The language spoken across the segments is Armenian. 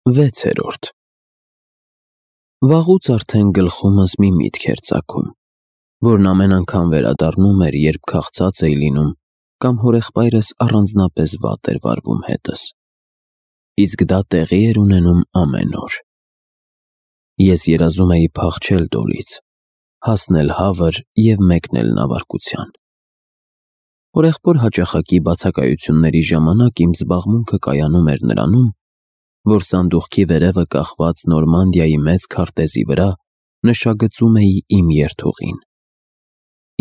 6-րդ Վաղուց արդեն գլխումս մի միտք էր ծագում, որն ամեն անգամ վերադառնում էր, երբ քաղցած էի լինում կամ հորեղբայրս առանձնապես վատ էր վարվում հետս, իսկ դա տեղի էր ունենում ամեն օր։ Ես երազում էի փախչել Դոլից, հասնել Հավր և մեկնել նավարկության։ Հորեղբոր հաճախակի բացակայությունների ժամանակ իմ զբաղմունքը կայանում էր նրանում, որ սանդուղքի վերևը կախված Նորմանդիայի մեծ քարտեզի վրա նշագծում էի իմ երթուղին։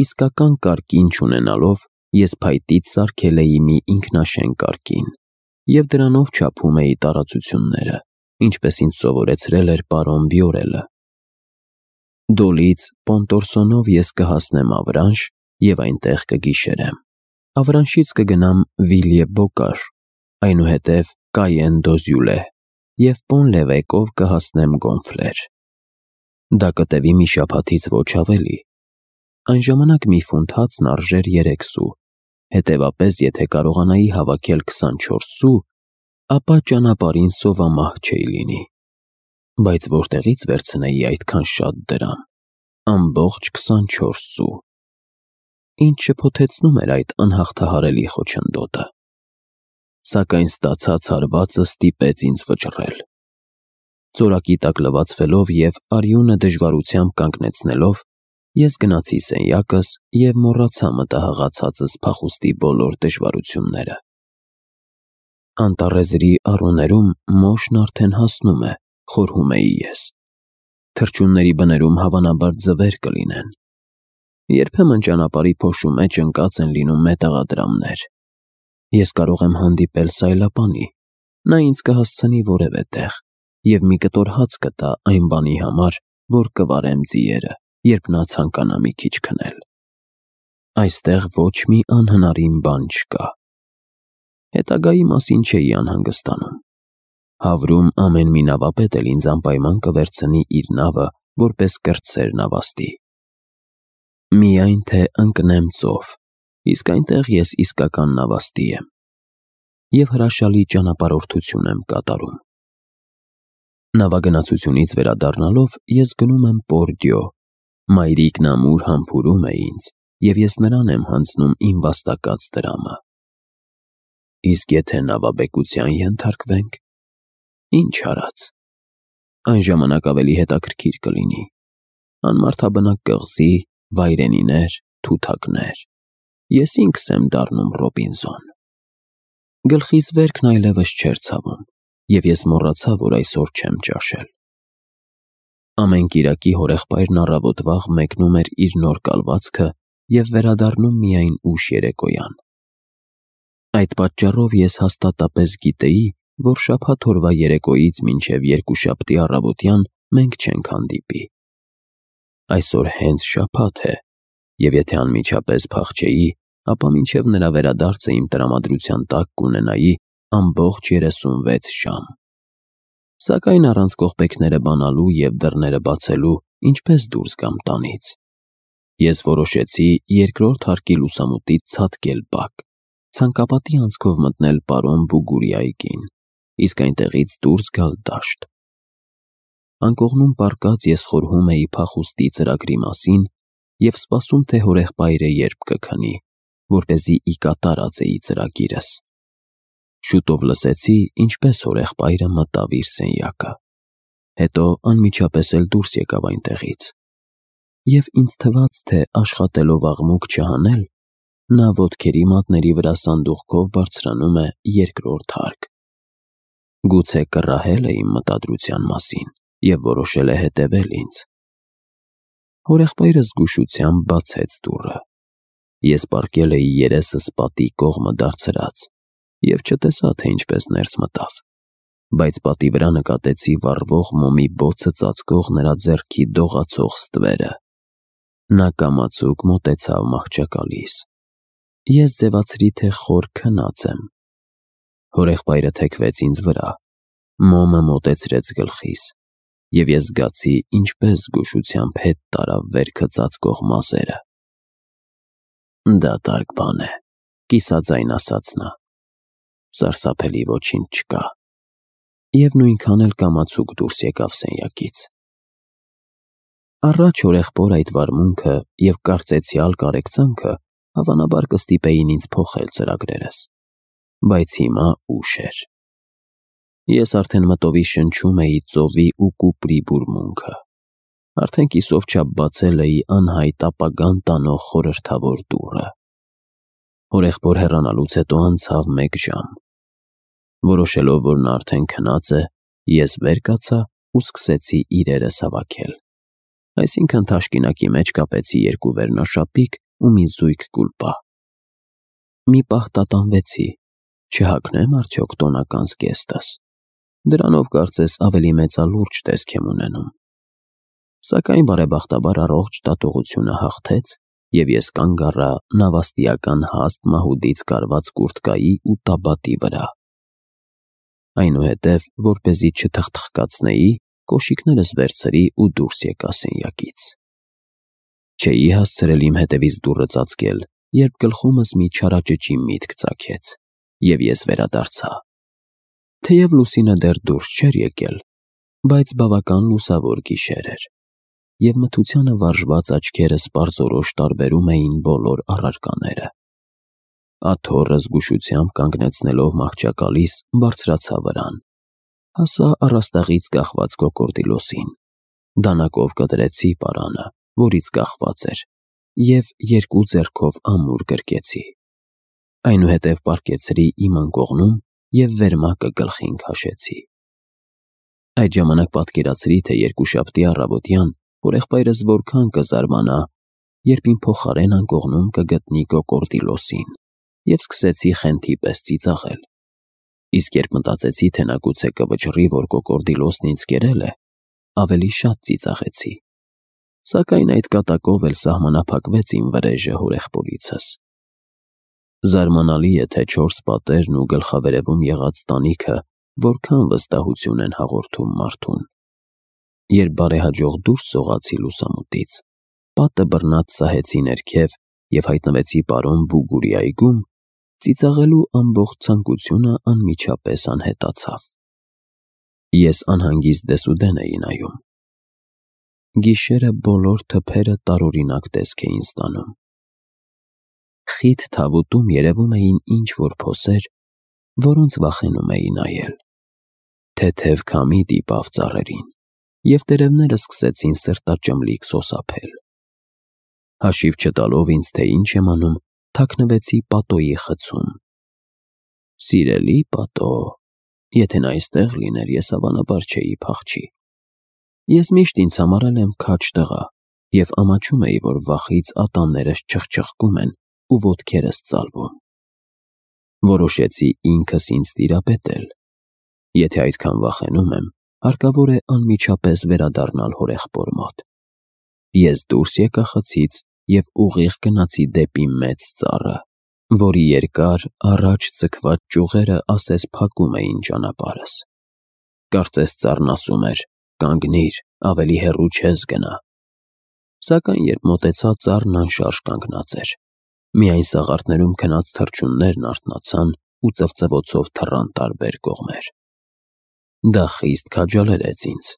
Իսկական կարկին չունենալով, ես փայտից սարքել էի մի ինքնաշեն կարկին և դրանով չափում էի տարածությունները, ինչպես ինձ սովորեցրել էր պարոն Բյորելը։ Դոլից Պոնտորսոնով ես կհասնեմ Ավրանշ և այնտեղ կգիշերեմ։ Ավրանշից կգնամ Վիլյեբոկաշ, այնուհետև Կայեն-դոզյուլե և Պոն-Լևեկով կհասնեմ Գոնֆլեր։ Դա կտևի մի շաբաթից ոչ ավելի։ Այն ժամանակ մի ֆունտ հացն արժեր 3 սու, հետևապես եթե կարողանայի հավաքել 24 սու, ապա ճանապարհին սովամահ չէի լինի։ Բայց որտեղից վերցնեի այդքան շատ դրամ։ Ամբողջ 24 սու։ Ինձ շփոթեցնում էր այդ անհաղթահարելի խոչընդոտը։ Սակայն ստացած հարվածը ստիպեց ինձ վճռել։ Ծորակի տակ լվացվելով և արյունը դժվարությամբ կանգնեցնելով, ես գնացի սենյակս և մոռացա մտահղացածս փախուստի բոլոր դժվարությունները։ Անտառեզրի առուներում մոշն արդեն հասնում է, խորհում էի ես։ Թռչունների բներում հավանաբար ձվեր կլինեն։ Երբեմն ճանապարհի փոշու մեջ ընկած են լինում մետաղադրամներ։ Ես կարող եմ հանդիպել սայլապանի, նա ինձ կհասցնի որևէ տեղ և մի կտոր հաց կտա այն բանի համար, որ կվարեմ ձիերը, երբ նա ցանկանա մի քիչ քնել։ Այստեղ ոչ մի անհնարին բան չկա։ Հետագայի մասին չէի անհանգստանում։ Հավրում ամեն մի նավապետ էլ ինձ անպայման կվերցնի իր նավը որպես կրտսեր նավաստի։ Միայն թե ընկնեմ ծով, իսկ այնտեղ ես իսկական նավաստի եմ և հրաշալի ճանապարհորդություն եմ կատարում։ Նավագնացությունից վերադառնալով ես գնում եմ Պորդյո, մայրիկն ամուր համբուրում է ինձ, և ես նրան եմ հանձնում իմ վաստակած դրամը։ Իսկ եթե նավաբեկության ենթարկվենք, ինչ արած։ Այն ժամանակ ավելի հետաքրքիր կլինի։ Անմարդաբնակ կղզի, վայրենիներ, թութակներ։ Ես ինքս եմ դառնում Ռոբինզոն։ Գլխիս վերքն այլևս չէր ցավում, և ես մոռացա, որ այսօր չեմ ճաշել։ Ամեն կիրակի հորեղբայրն առավոտ վաղ մեկնում էր իր նոր կալվածքը և վերադառնում միայն ուշ երեկոյան։ Այդ պատճառով ես հաստատապես գիտեի, որ շաբաթ օրվա երեկոյից մինչև երկուշաբթի առավոտյան մենք չենք հանդիպի։ Այսօր հենց շաբաթ է, և եթե անմիջապես փախչեի, ապա մինչև նրա վերադարձը իմ տրամադրության տակ կունենայի ամբողջ 36 ժամ։ Սակայն առանց կողպեքները բանալու և դռները բացելու ինչպես դուրս գամ տանից։ Ես որոշեցի երկրորդ հարկի լուսամուտից ցատկել բակ, ցանկապատի անցքով մտնել պարոն Բուգուրի այգին, իսկ այնտեղից դուրս գալ դաշտ։ Անկողնում պառկած ես խորհում էի փախուստի ծրագրի մասին և սպասում, թե հորեղբայրը երբ կքնի, որպեսզի ի կատար ածեի ծրագիրս։ Շուտով լսեցի, ինչպես հորեղբայրը մտավ իր սենյակը, հետո անմիջապես էլ դուրս եկավ այնտեղից, և ինձ թվաց, թե աշխատելով աղմուկ չհանել, նա ոտքերի մատների վրա սանդուղքով բարձրանում է երկրորդ հարկ։ Գուցե կռահել է իմ մտադրության մասին և որոշել է հետևել ինձ։ Հորեղբայրը զգուշությամբ բացեց դուռը։ Ես պառկել էի երեսս պատի կողմը դարձրած և չտեսա, թե ինչպես ներս մտավ, բայց պատի վրա նկատեցի վառվող մոմի բոցը ծածկող նրա ձեռքի դողացող ստվերը։ Նա կամացուկ մոտեցավ մահճակալիս։ Ես ձևացրի, թե խոր քնած եմ։ Հորեղբայրը թեքվեց ինձ վրա, մոմը մոտեցրեց գլխիս, և ես զգացի, ինչպես զգուշությամբ հետ տարավ վերքը ծածկող մազերը։ «Դատարկ բան է», կիսաձայն ասաց նա։ «Սարսափելի ոչինչ չկա»։ և նույնքան էլ կամացուկ դուրս եկավ սենյակից։ Առաջ հորեղբոր այդ վարմունքը և կարծեցյալ կարեկցանքը հավանաբար կստիպեին ինձ փոխել ծրագրերս, բայց հիմա ուշ էր։ Ես արդեն մտովի շնչում էի ծովի ու կուպրի բուրմունքը, արդեն կիսով չափ բացել էի անհայտ ապագան տանող խորհրդավոր դուռը։ Հորեղբոր հեռանալուց հետո անցավ 1 ժամ։ Որոշելով, որ նա արդեն քնած է, ես վեր կացա ու սկսեցի իրերս հավաքել։ Այսինքն թաշկինակի մեջ կապեցի 2 վերնաշապիկ ու մի զույգ կուլպա։ Մի պահ տատանվեցի, չհագնեմ արդյոք տոնական զգեստս։ Դրանով կարծես ավելի մեծալուրջ տեսք եմ ունենում։ Սակայն բարեբախտաբար առողջ դատողությունը հաղթեց, և ես կանգ առա նավաստիական հաստ մահուդից կարված կուրտկայի ու տաբատի վրա։ Այնուհետև, որպեսզի չթխթխկացնեի, կոշիկներս վերցրի ու դուրս եկա սենյակից։ Չէի հասցրել իմ հետևից դուռը ծածկել, երբ գլխումս մի չարաճճի միտք ծագեց, և ես վերադարձա։ Թեև լուսինը դեռ դուրս չէր եկել, բայց բավական լուսավոր գիշեր էր, և մթությանը վարժված աչքերս պարզորոշ տարբերում էին բոլոր առարկաները։ Աթոռը զգուշությամբ կանգնեցնելով մահճակալիս բարձրացա վրան, հասա առաստաղից կախված կոկորդիլոսին, դանակով կտրեցի պարանը, որից կախված էր, և 2 ձեռքով ամուր գրկեցի։ Այնուհետև պառկեցրի իմ անկողնում և վերմակը գլխին քաշեցի։ Այդ ժամանակ պատկերացրի, թե երկուշաբթի առավոտյան հորեղբայրս որքան կզարմանա, երբ իմ փոխարեն անկողնում կգտնի կոկորդիլոսին, և սկսեցի խենթի պես ծիծաղել։ Իսկ երբ մտածեցի, թե նա գուցե կվճռի, որ կոկորդիլոսն ինձ կերել է, ավելի շատ ծիծաղեցի։ Սակայն այդ կատակով էլ սահմանափակվեց իմ վրեժը հորեղբորիցս։ Զարմանալի է, թե 4 պատերն ու գլխավերևում եղած տանիքը որքան վստահություն են հաղորդում մարդուն։ Երբ բարեհաջող դուրս սողացի լուսամուտից, պատը բռնած սահեցի ներքև և հայտնվեցի պարոն Բուգուրի այգում, ծիծաղելու ամբողջ ցանկությունը անմիջապես անհետացավ։ Ես անհանգիստ դեսուդեն էի նայում։ Գիշերը բոլոր թփերը տարօրինակ տեսք էին ստանում։ Խիտ թավուտում երևում էին ինչ-որ փոսեր, որոնց վախենում էի նայել։ Թեթև քամի դիպավ ծառերին, և տերևները սկսեցին սրտաճմլիկ սոսափել։ Հաշիվ չտալով ինձ, թե ինչ եմ անում, թաքնվեցի պատոյի խցում։ Սիրելի պատո, եթե նա այստեղ լիներ, ես հավանաբար չէի փախչի։ Ես միշտ ինձ համարել եմ քաջ տղա և ամաչում էի, որ վախից ատամներս չխչխկում են ու ոտքերս ծալվում։ Որոշեցի ինքս ինձ տիրապետել։ Եթե այդքան վախենում եմ, հարկավոր է անմիջապես վերադառնալ հորեղբոր մոտ։ Ես դուրս եկա խցից և ուղիղ գնացի դեպի մեծ ծառը, որի երկար, առաջ ձգված ճյուղերը ասես փակում էին ճանապարհս։ Կարծես ծառն ասում էր. «Կանգնիր, ավելի հեռու չես գնա»։ Սակայն երբ մոտեցա, ծառն անշարժ կանգնած էր։ Միայն սաղարթներում քնած թռչուններն արթնացան ու ծվծվոցով թռան տարբեր կողմեր։ Դա խիստ քաջալերեց ինձ։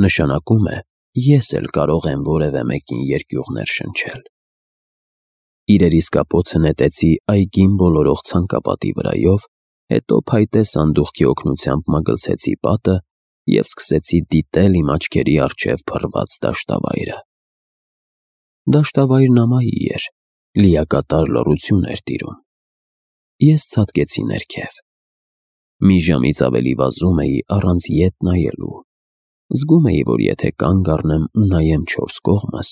Նշանակում է, ես էլ կարող եմ որևէ մեկին երկյուղներ շնչել։ Իրերիս կապոցը նետեցի այգին բոլորող ցանկապատի վրայով, հետո փայտե սանդուղքի օգնությամբ մագլցեցի պատը և սկսեցի դիտել իմ աչքերի առջև փռված դաշտավայրը։ Դաշտավայրն ամայի էր, լիակատար լռություն էր տիրում։ Ես ցատկեցի ներքև։ Մի ժամից ավելի վազում էի առանց ետ նայելու։ Զգում էի, որ եթե կանգ առնեմ ու նայեմ 4 կողմս,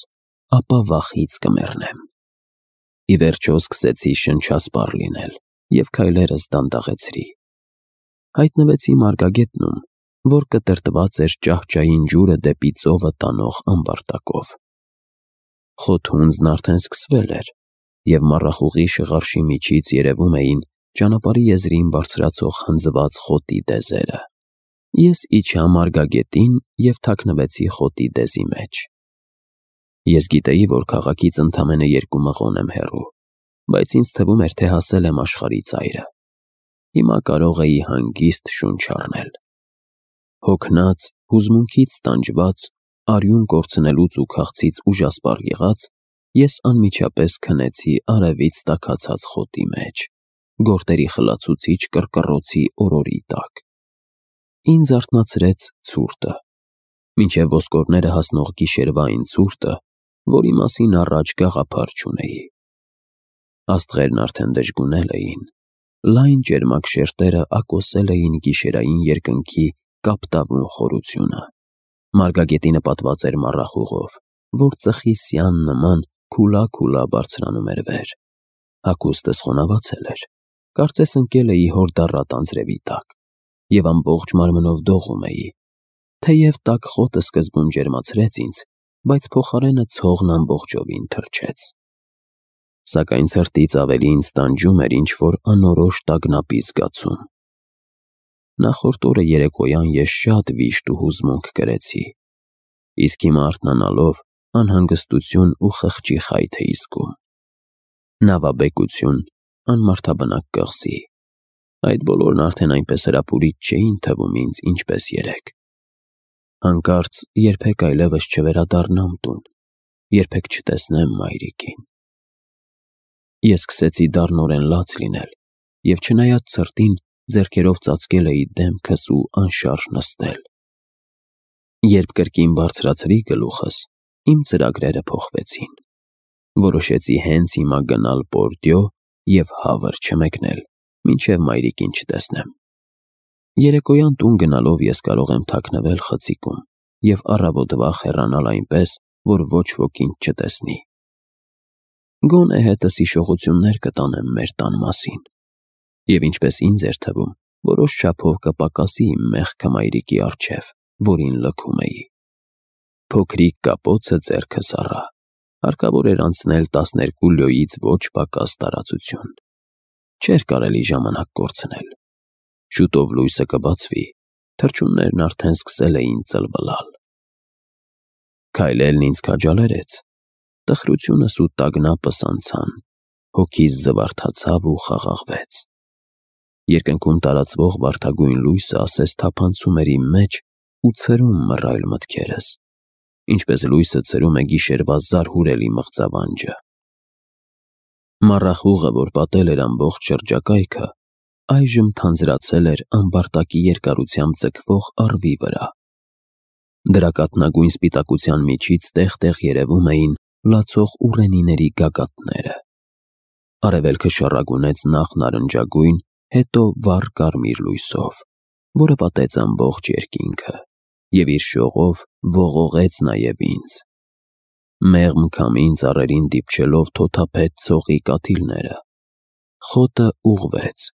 ապա վախից կմեռնեմ։ Ի վերջո սկսեցի շնչասպառ լինել և քայլերս դանդաղեցրի։ Հայտնվեցի մարգագետնում, որ կտրտված էր ճահճային ջուրը դեպի ծովը տանող ամբարտակով։ Խոթունձն արդեն սկսվել էր, և մառախուղի շղարշի միջից երևում էին ճանապարհի եզրին բարձրացող հնձված խոտի դեզերը։ Ես իջա մարգագետին և թաքնվեցի խոտի դեզի մեջ։ Ես գիտեի, որ քաղաքից ընդամենը 2 մղոն եմ հեռու, բայց ինձ թվում էր, թե հասել եմ աշխարհի ծայրը։ Հիմա կարող էի հանգիստ շունչ առնել։ Հոգնած, հուզմունքից տանջված, արյուն կորցնելուց ու քաղցից ուժասպառ եղած, ես անմիջապես քնեցի արևից տաքացած խոտի մեջ, գորտերի խլացուցիչ կռկռոցի օրորի տակ։ Ինձ արթնացրեց ցուրտը, մինչև ոսկորները հասնող գիշերվա այն ցուրտը, որի մասին առաջ գաղափար չունեի։ Աստղերն արդեն դժգունել էին, լայն ճերմակ շերտերը ակոսել էին գիշերային երկնքի կապտավուն խորությունը։ Մարգագետինը պատված էր մառախուղով, որ ծխի սյան նման քուլա բարձրանում էր վեր։ Հագուստս խոնավացել էր, կարծես ընկել էի հորդառատ անձրևի տակ, և ամբողջ մարմնով դողում էի, թեև տաք խոտը սկզբում ջերմացրեց ինձ, բայց փոխարենը ցողն ամբողջովին թրջեց։ Սակայն ցրտից ավելի ինձ տանջում էր ինչ-որ անորոշ տագնապի զգացում։ Նախորդ օրը երեկոյան ես շատ վիշտ ու հուզմունք կրեցի, իսկ հիմա արթնանալով անհանգստություն ու խղճի խայթ էի զգում։ Նավաբեկություն, անմարդաբնակ կղզի, այդ բոլորն արդեն այնպես հրապուրիչ չէին թվում ինձ, ինչպես երեկ։ Հանկարծ երբեք այլևս չվերադառնամ տուն, երբեք չտեսնեմ մայրիկին։ Ես սկսեցի դառնորեն լաց լինել և չնայած ցրտին, ձեռքերով ծածկել էի դեմքս ու անշարժ նստել։ Երբ կրկին բարձրացրի գլուխս, իմ ծրագրերը փոխվեցին։ Որոշեցի հենց հիմա գնալ Պորդիո և հավր չմեկնել, մինչև մայրիկին չտեսնեմ։ Երեկոյան տուն գնալով ես կարող եմ թաքնվել խցիկում և առավոտ վաղ հեռանալ այնպես, որ ոչ ոք ինձ չտեսնի։ Գոնե հետս հիշողություններ կտանեմ մեր տան մասին, և ինչպես ինձ էր թվում, որոշ չափով կպակասի իմ մեղքը մայրիկի առջև, որին լքում էի։ Փոքրիկ կապոցը ձեռքս առա, հարկավոր էր անցնել 12 լյոյից ոչ պակաս տարածություն։ Չէր կարելի ժամանակ կորցնել։ Շուտով լույսը կբացվի, թռչուններն արդեն սկսել էին ծլվլալ։ Քայլելն ինձ քաջալերեց, տխրությունս ու տագնապս անցան, հոգիս զվարթացավ ու խաղաղվեց։ Երկնքում տարածվող վարդագույն լույսը ասես թափանցում էր իմ մեջ ու ցրում մռայլ մտքերս, ինչպես լույսը ցրում է գիշերվա զարհուրելի մղձավանջը։ Մառախուղը, որ պատել էր ամբողջ շրջակայքը, այժմ թանձրացել էր ամբարտակի երկարությամբ ձգվող առվի վրա։ Դրա կաթնագույն սպիտակության միջից տեղ-տեղ երևում էին լացող ուռենիների գագաթները։ Արևելքը շառագունեց նախ նարնջագույն, հետո վառ կարմիր լույսով, որը պատեց ամբողջ երկինքը և իր շողով ողողեց նաև ինձ։ Մեղմ քամին ծառերին դիպչելով թոթափեց ցողի կաթիլները։ Խոտը ուղղվեց,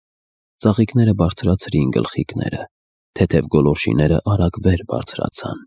ծաղիկները բարձրացրին գլխիկները, թեթև գոլորշիները արագ վեր բարձրացան։